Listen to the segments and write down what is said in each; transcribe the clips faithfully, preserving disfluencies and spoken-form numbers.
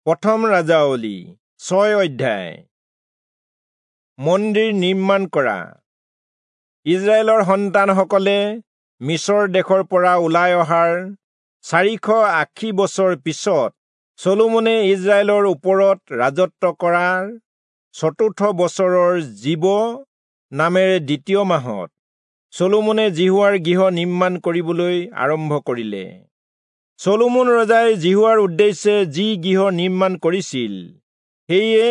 প্ৰথম ৰাজাৱলী ছয় অধ্যায়। মন্দিৰ নিৰ্মাণ কৰা। ইজৰাইলৰ সন্তানসকলে মিচৰ দেশৰ পৰা ওলাই অহাৰ চাৰিশ আশী বছৰ পিছত চলোমনে ইজৰাইলৰ ওপৰত ৰাজত্ব কৰাৰ চতুৰ্থ বছৰৰ জীৱ নামেৰে দ্বিতীয় মাহত চলোমনে যিহোৱাৰ গৃহ নিৰ্মাণ কৰিবলৈ আৰম্ভ কৰিলে। চলোমন ৰজাই যিহোৱাৰ উদ্দেশ্যে যি গৃহ নিৰ্মাণ কৰিছিল সেয়ে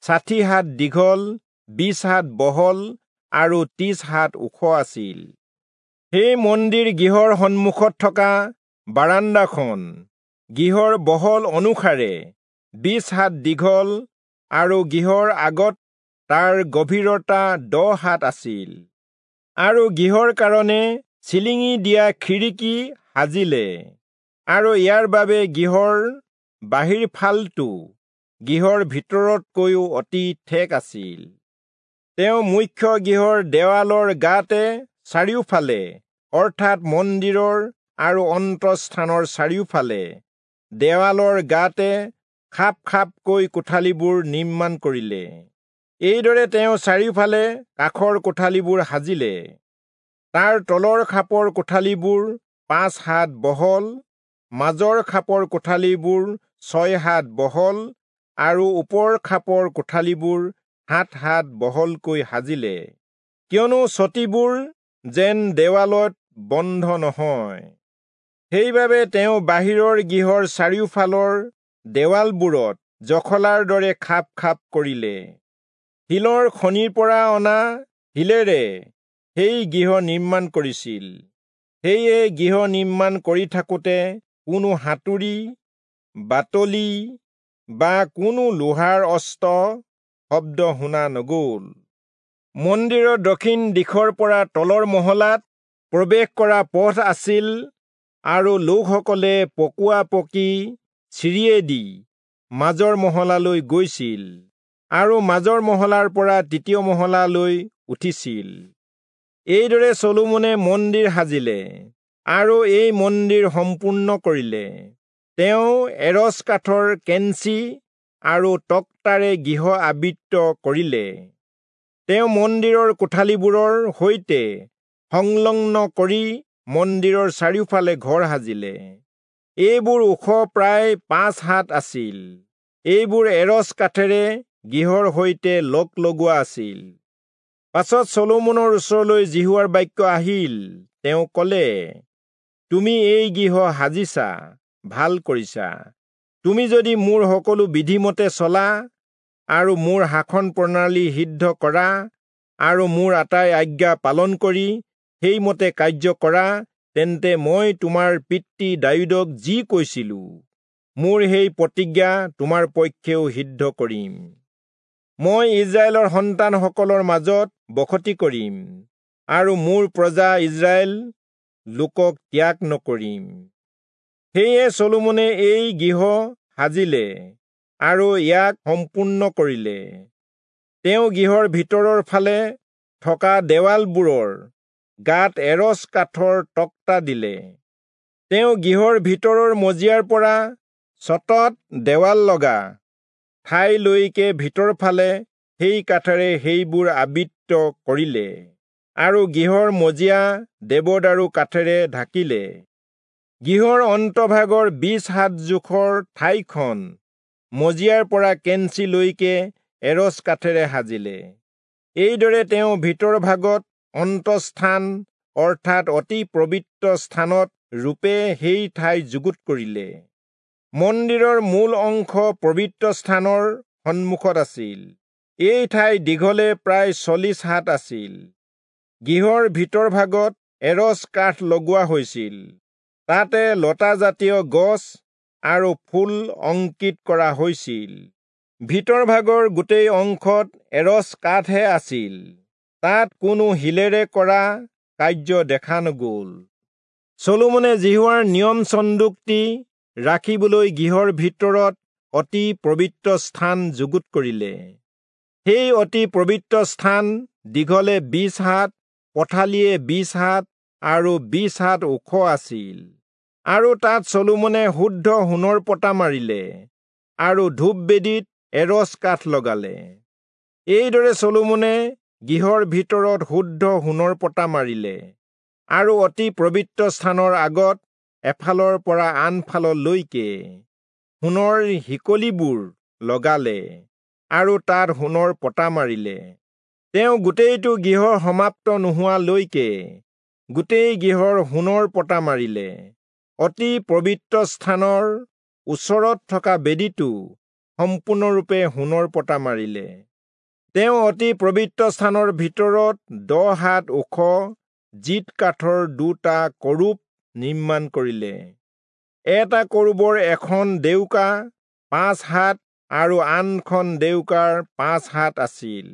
ষাঠি হাত দীঘল, বিশ হাত বহল আৰু ত্ৰিশ হাত ওখ আছিল। সেই মন্দিৰ গৃহৰ সন্মুখত থকা বাৰান্দাখন গৃহৰ বহল অনুসাৰে বিশ হাত দীঘল আৰু গৃহৰ আগত তাৰ গভীৰতা দহ হাত আছিল। আৰু গৃহৰ কাৰণে চিলিঙি দিয়া খিৰিকী সাজিলে আৰু ইয়াৰ বাবে গৃহৰ বাহিৰ ফালটো গৃহৰ ভিতৰতকৈও অতি ঠেক আছিল। তেওঁ মুখ্য গৃহৰ দেৱালৰ গাতে চাৰিওফালে, অৰ্থাৎ মন্দিৰৰ আৰু অন্তঃস্থানৰ চাৰিওফালে দেৱালৰ গাতে খাপ খাপকৈ কোঠালিবোৰ নিৰ্মাণ কৰিলে। এইদৰে তেওঁ চাৰিওফালে কাষৰ কোঠালিবোৰ সাজিলে। তাৰ তলৰ খাপৰ কোঠালিবোৰ পাঁচ হাত বহল, মাজৰ খাপৰ কোঠালিবোৰ ছয় হাত বহল আৰু ওপৰ খাপৰ কোঠালিবোৰ সাত হাত বহলকৈ সাজিলে, কিয়নো চতিবোৰ যেন দেৱালত বন্ধ নহয়। সেইবাবে তেওঁ বাহিৰৰ গৃহৰ চাৰিওফালৰ দেৱালবোৰত জখলাৰ দৰে খাপ খাপ কৰিলে। শিলৰ খনিৰ পৰা অনা শিলেৰে সেই গৃহ নিৰ্মাণ কৰিছিল। সেয়ে গৃহ নিৰ্মাণ কৰি থাকোঁতে কোনো হাতুৰী, বাটলি বা কোনো লোহাৰ অস্ত্ৰ শব্দ শুনা নগ'ল। মন্দিৰৰ দক্ষিণ দিশৰ পৰা তলৰ মহলাত প্ৰৱেশ কৰা পথ আছিল আৰু লোকসকলে পকোৱা পকী চিৰিয়েদি মাজৰ মহলালৈ গৈছিল আৰু মাজৰ মহলাৰ পৰা তৃতীয় মহলালৈ উঠিছিল। এইদৰে চলোমনে মন্দিৰ সাজিলে আৰু এই মন্দিৰ সম্পূৰ্ণ কৰিলে। তেওঁ এৰচ কাঠৰ কেঞ্চি আৰু তক্তাৰে গৃহ আবৃত কৰিলে। তেওঁ মন্দিৰৰ কোঠালিবোৰৰ সৈতে সংলগ্ন কৰি মন্দিৰৰ চাৰিওফালে ঘৰ সাজিলে। এইবোৰ ওখ প্ৰায় পাঁচ হাত আছিল। এইবোৰ এৰচ কাঠেৰে গৃহৰ সৈতে লগ লগোৱা আছিল। পাছত চলোমনৰ ওচৰলৈ যিহোৱাৰ বাক্য আহিল। তেওঁ ক'লে, তুমি এই গৃহ সাজিছা, ভাল কৰিছা। তুমি যদি মোৰ সকলো বিধিমতে চলা আৰু মোৰ শাসন প্ৰণালী সিদ্ধ কৰা আৰু মোৰ আটাই আজ্ঞা পালন কৰি সেইমতে কাৰ্য কৰা, তেন্তে মই তোমাৰ পিতৃ দায়ূদক যি কৈছিলো, মোৰ সেই প্ৰতিজ্ঞা তোমাৰ পক্ষেও সিদ্ধ কৰিম। মই ইজৰাইলৰ সন্তানসকলৰ মাজত বসতি কৰিম আৰু মোৰ প্ৰজা ইজৰাইল লোকক ত্যাগ নকৰিম। সেয়ে চলোমনে এই গৃহ সাজিলে আৰু ইয়াক সম্পূৰ্ণ কৰিলে। তেওঁ গৃহৰ ভিতৰৰ ফালে থকা দেৱালবোৰৰ গাত এৰচ কাঠৰ তক্তা দিলে। তেওঁ গৃহৰ ভিতৰৰ মজিয়াৰ পৰা চতত দেৱাল লগা ঠাইলৈকে ভিতৰ ফালে সেই কাঠেৰে সেইবোৰ আবৃত কৰিলে আৰু গৃহৰ মজিয়া দেৱদাৰু কাঠেৰে ঢাকিলে। গৃহৰ অন্তভাগৰ বিশ হাত জোখৰ ঠাইখন মজিয়াৰ পৰা কেঞ্চিলৈকে এৰচ কাঠেৰে সাজিলে। এইদৰে তেওঁ ভিতৰ ভাগত অন্তঃস্থান অৰ্থাৎ অতি পবিত্ৰ স্থানত ৰূপে সেই ঠাই যুগুত কৰিলে। মন্দিৰৰ মূল অংশ পবিত্ৰ স্থানৰ সন্মুখত আছিল। এই ঠাই দীঘলে প্ৰায় চল্লিশ হাত আছিল। গৃহৰ ভিতৰ ভাগত এৰচ কাঠ লগোৱা হৈছিল। তাতে লতাজাতীয় গছ আৰু ফুল অংকিত কৰা হৈছিল। ভিতৰ ভাগৰ গোটেই অংশত এৰচ কাঠহে আছিল। তাত কোনো শিলেৰে কৰা কাৰ্য দেখা নগ'ল। চলোমনে যিহোৱাৰ নিয়ম চন্দুকটি ৰাখিবলৈ গৃহৰ ভিতৰত অতি পবিত্ৰ স্থান যুগুত কৰিলে। সেই অতি পবিত্ৰ স্থান দীঘলে বিশ হাত, পথালিয়ে বিশ হাত আৰু বিশ হাত ওখ আছিল। আৰু তাত চলোমনে শুদ্ধ সোণৰ পতা মাৰিলে। আৰু ধূপবেদীত এৰচ কাঠ লগালে। এইদৰে চলোমনে গৃহৰ ভিতৰত শুদ্ধ সোণৰ পতা মাৰিলে আৰু অতি পবিত্ৰ স্থানৰ আগত এফালৰ পৰা আনফাললৈকে সোণৰ শিকলিবোৰ লগালে আৰু তাত সোণৰ পতা মাৰিলে। তেওঁ গোটেইটো গৃহ সমাপ্ত নোহোৱালৈকে গোটেই গৃহৰ সোণৰ পতা মাৰিলে। অতি পবিত্ৰ স্থানৰ ওচৰত থকা বেদীটো সম্পূৰ্ণৰূপে সোণৰ পতা মাৰিলে। তেওঁ অতি পবিত্ৰ স্থানৰ ভিতৰত দহ হাত ওখ জিত কাঠৰ দুটা কৰূব নিৰ্মাণ কৰিলে। এটা কৰূবৰ এখন ডেউকা পাঁচ হাত আৰু আনখন ডেউকাৰ পাঁচ হাত আছিল।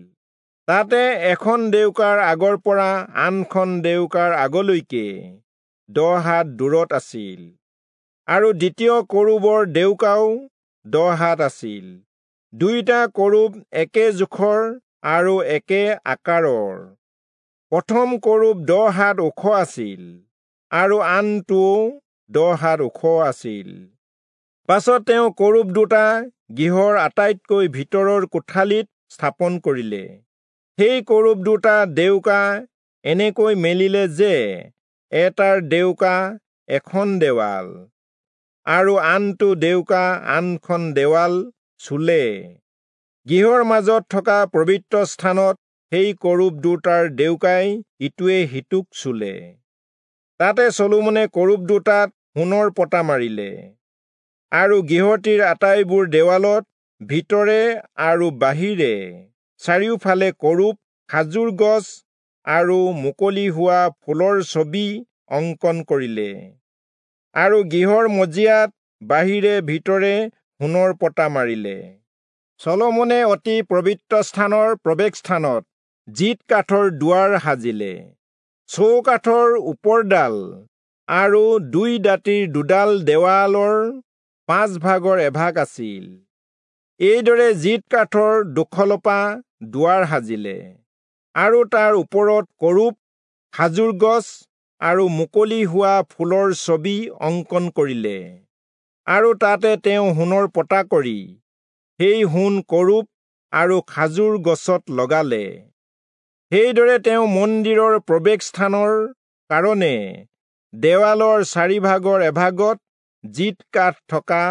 তাতে এখন ডেউকাৰ আগৰ পৰা আনখন ডেউকাৰ আগলৈকে দহ হাত দূৰত আছিল আৰু দ্বিতীয় কৰূবৰ ডেউকাও দহ হাত আছিল। দুয়োটা কৰূব একে জোখৰ আৰু একে আকাৰৰ। প্ৰথম কৰূব দহ হাত ওখ আছিল আৰু আনটোও দহ হাত ওখ আছিল। পাছত তেওঁ কৰূব দুটা গৃহৰ আটাইতকৈ ভিতৰৰ কোঠালিত স্থাপন কৰিলে। সেই কৰূব দুটা ডেউকা এনেকৈ মেলিলে যে এটাৰ ডেউকা এখন দেৱাল আৰু আনটো ডেউকা আনখন দেৱাল চুলে। গৃহৰ মাজত থকা পবিত্ৰ স্থানত সেই কৰূব দুটাৰ ডেউকাই ইটোৱে সিটোক চুলে। তাতে চলোমনে কৰূব দুটাত সোণৰ পতা মাৰিলে আৰু গৃহটিৰ আটাইবোৰ দেৱালত ভিতৰে আৰু বাহিৰে চাৰিওফালে কৰূব, খাজুৰ গছ আৰু মুকলি হোৱা ফুলৰ ছবি অংকন কৰিলে আৰু গৃহৰ মজিয়াত বাহিৰে ভিতৰে সোণৰ পতা মাৰিলে। চলোমনে অতি পবিত্ৰ স্থানৰ প্ৰৱেশস্থানত জিত কাঠৰ দুৱাৰ সাজিলে। চৌকাঠৰ ওপৰডাল আৰু দুই দাঁতিৰ দুডাল দেৱালৰ পাঁচ ভাগৰ এভাগ আছিল। এইদৰে জিত কাঠৰ দুখলপা দুৱাৰ সাজিলে আৰু তাৰ ওপৰত কৰূব, খাজুৰ গছ আৰু মুকলি হোৱা ফুলৰ ছবি অংকন কৰিলে আৰু তাতে তেওঁ সোণৰ পতা কৰি সেই সোণ কৰূব আৰু খাজুৰ গছত লগালে। সেইদৰে তেওঁ মন্দিৰৰ প্ৰৱেশস্থানৰ কাৰণে দেৱালৰ চাৰিভাগৰ এভাগত জিত কাঠ থকা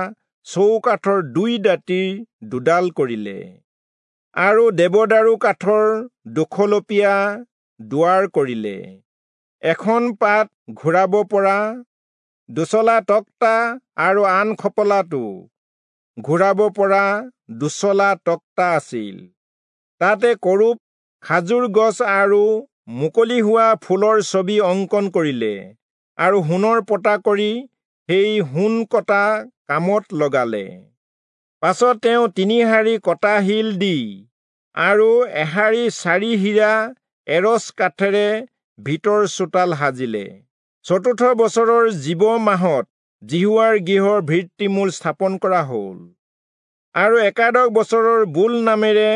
চৌকাঠৰ দুই দাঁতিৰ দুডাল কৰিলে আৰু দেৱদাৰু কাঠৰ দুখলপীয়া দুৱাৰ কৰিলে। এখন পাত ঘূৰাব পৰা দুচলা তক্তা আৰু আন খপলাটো ঘূৰাব পৰা দুচলা তক্তা আছিল। তাতে কৰূব, খাজুৰ গছ আৰু মুকলি হোৱা ফুলৰ ছবি অংকন কৰিলে আৰু সোণৰ পতা কৰি সেই সোণ কটা কামত লগালে। পাছত তেওঁ তিনি শাৰী কটা শিল দি আৰু এশাৰী চাৰি হীৰা এৰচ কাঠেৰে ভিতৰ চোতাল সাজিলে। চতুৰ্থ বছৰৰ জীৱ মাহত যিহোৱাৰ গৃহৰ ভিত্তিমূল স্থাপন কৰা হ'ল আৰু একাদশ বছৰৰ বুল নামেৰে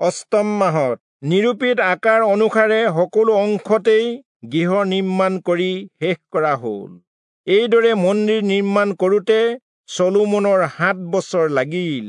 অষ্টম মাহত নিৰূপিত আকাৰ অনুসাৰে সকলো অংশতেই গৃহ নিৰ্মাণ কৰি শেষ কৰা হ'ল। এইদৰে মন্দিৰ নিৰ্মাণ কৰোঁতে চলোমনৰ সাত বছৰ লাগিল।